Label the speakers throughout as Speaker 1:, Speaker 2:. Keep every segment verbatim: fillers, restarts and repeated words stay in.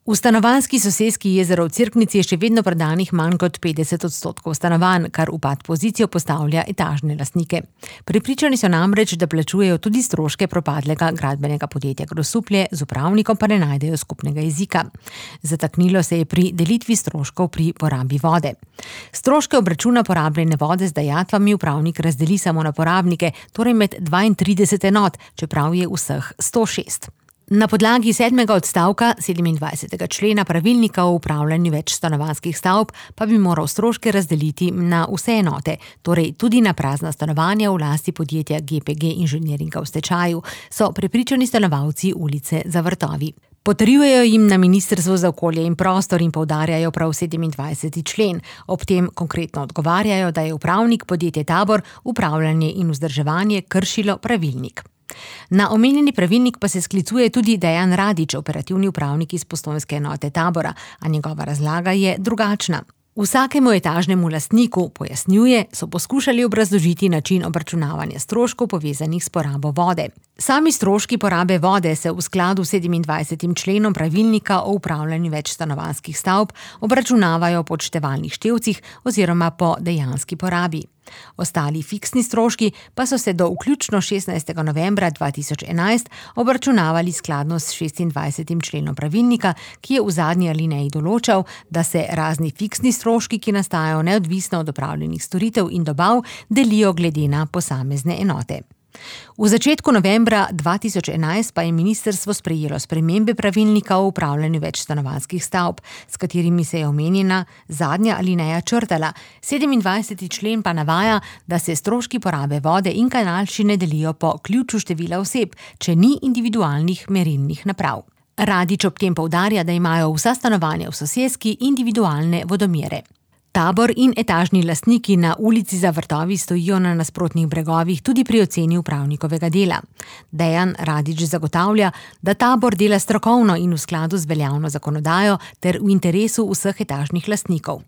Speaker 1: V stanovanjski soseski Jezero v Cerknici je še vedno prodanih manj kot petdeset odstotkov stanovanj, kar v pad pozicijo postavlja etažne lastnike. Prepričani so namreč, da plačujejo tudi stroške propadlega gradbenega podjetja Grosuplje, z upravnikom pa ne najdejo skupnega jezika. Zataknilo se je pri delitvi stroškov pri porabi vode. Stroške obračuna porabljene vode z dajatvami upravnik razdeli samo na porabnike, torej med dvaintrideset enot, čeprav je vseh sto šest. Na podlagi sedmega odstavka sedemindvajsetega člena pravilnika o upravljanju večstanovanjskih stavb pa bi moral stroške razdeliti na vse enote, torej tudi na prazna stanovanja v lasti podjetja G P G Inženiringa v stečaju, so prepričani stanovalci ulice Za vrtovi. Potrjujejo jim na Ministrstvu za okolje in prostor in poudarjajo prav sedemindvajseti člen. Ob tem konkretno odgovarjajo, da je upravnik podjetje Tabor upravljanje in vzdrževanje kršilo pravilnik. Na omenjeni pravilnik pa se sklicuje tudi Dejan Radič, operativni upravnik iz postojnske enote Tabora, a njegova razlaga je drugačna. Vsakemu etažnemu lastniku, pojasnjuje, so poskušali obrazložiti način obračunavanja stroškov povezanih s porabo vode. Sami stroški porabe vode se v skladu s sedemindvajsetim členom pravilnika o upravljanju večstanovanjskih stavb obračunavajo po odštevalnih števcih oziroma po dejanski porabi. Ostali fiksni stroški pa so se do vključno šestnajstega novembra dva tisoč enajst obračunavali skladno s šestindvajsetim členom pravilnika, ki je v zadnji alineji določal, da se razni fiksni stroški, ki nastajajo neodvisno od opravljenih storitev in dobav, delijo glede na posamezne enote. V začetku novembra dva tisoč enajst pa je ministrstvo sprejelo spremembe pravilnika o upravljanju večstanovanjskih stavb, s katerimi se je omenjena zadnja alineja črtala. sedemindvajseti člen pa navaja, da se stroški porabe vode in kanalščine delijo po ključu števila oseb, če ni individualnih merilnih naprav. Radič ob tem poudarja, da imajo vsa stanovanja v soseski individualne vodomere. Tabor in etažni lastniki na ulici Za vrtovi stojijo na nasprotnih bregovih tudi pri oceni upravnikovega dela. Dejan Radič zagotavlja, da Tabor dela strokovno in v skladu z veljavno zakonodajo ter v interesu vseh etažnih lastnikov.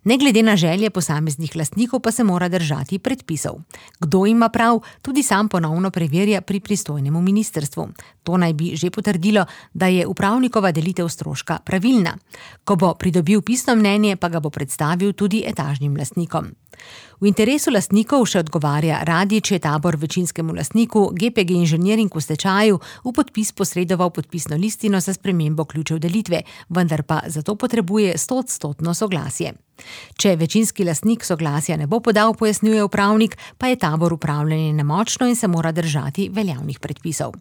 Speaker 1: Ne glede na želje posameznih lastnikov pa se mora držati predpisov. Kdo ima prav, tudi sam ponovno preverja pri pristojnemu ministrstvu. To naj bi že potrdilo, da je upravnikova delitev stroška pravilna. Ko bo pridobil pisno mnenje, pa ga bo predstavil tudi etažnim lastnikom. V interesu lastnikov, še odgovarja Radič, je Tabor večinskemu lastniku G P G Inženiring v stečaju v podpis posredoval podpisno listino za spremembo ključev delitve, vendar pa zato potrebuje stoodstotno soglasje. Če večinski lastnik soglasja ne bo podal, pojasnjuje upravnik, pa je Tabor upravljanje nemočno in se mora držati veljavnih predpisov.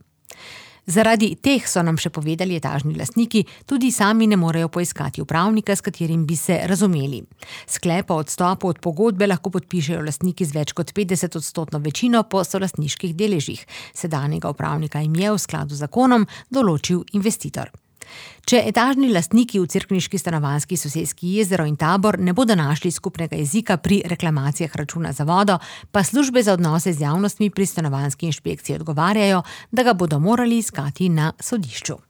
Speaker 1: Zaradi teh, so nam še povedali etažni lastniki, tudi sami ne morejo poiskati upravnika, s katerim bi se razumeli. Sklep o odstopu od pogodbe lahko podpišejo lastniki z več kot petdeset odstotno večino po solastniških deležih. Sedanjega upravnika jim je v skladu z zakonom določil investitor. Če etažni lastniki v cerkniški stanovanjski soseski Jezero in Tabor ne bodo našli skupnega jezika pri reklamacijah računa za vodo, pa službe za odnose z javnostmi pri stanovanjski inšpekciji odgovarjajo, da ga bodo morali iskati na sodišču.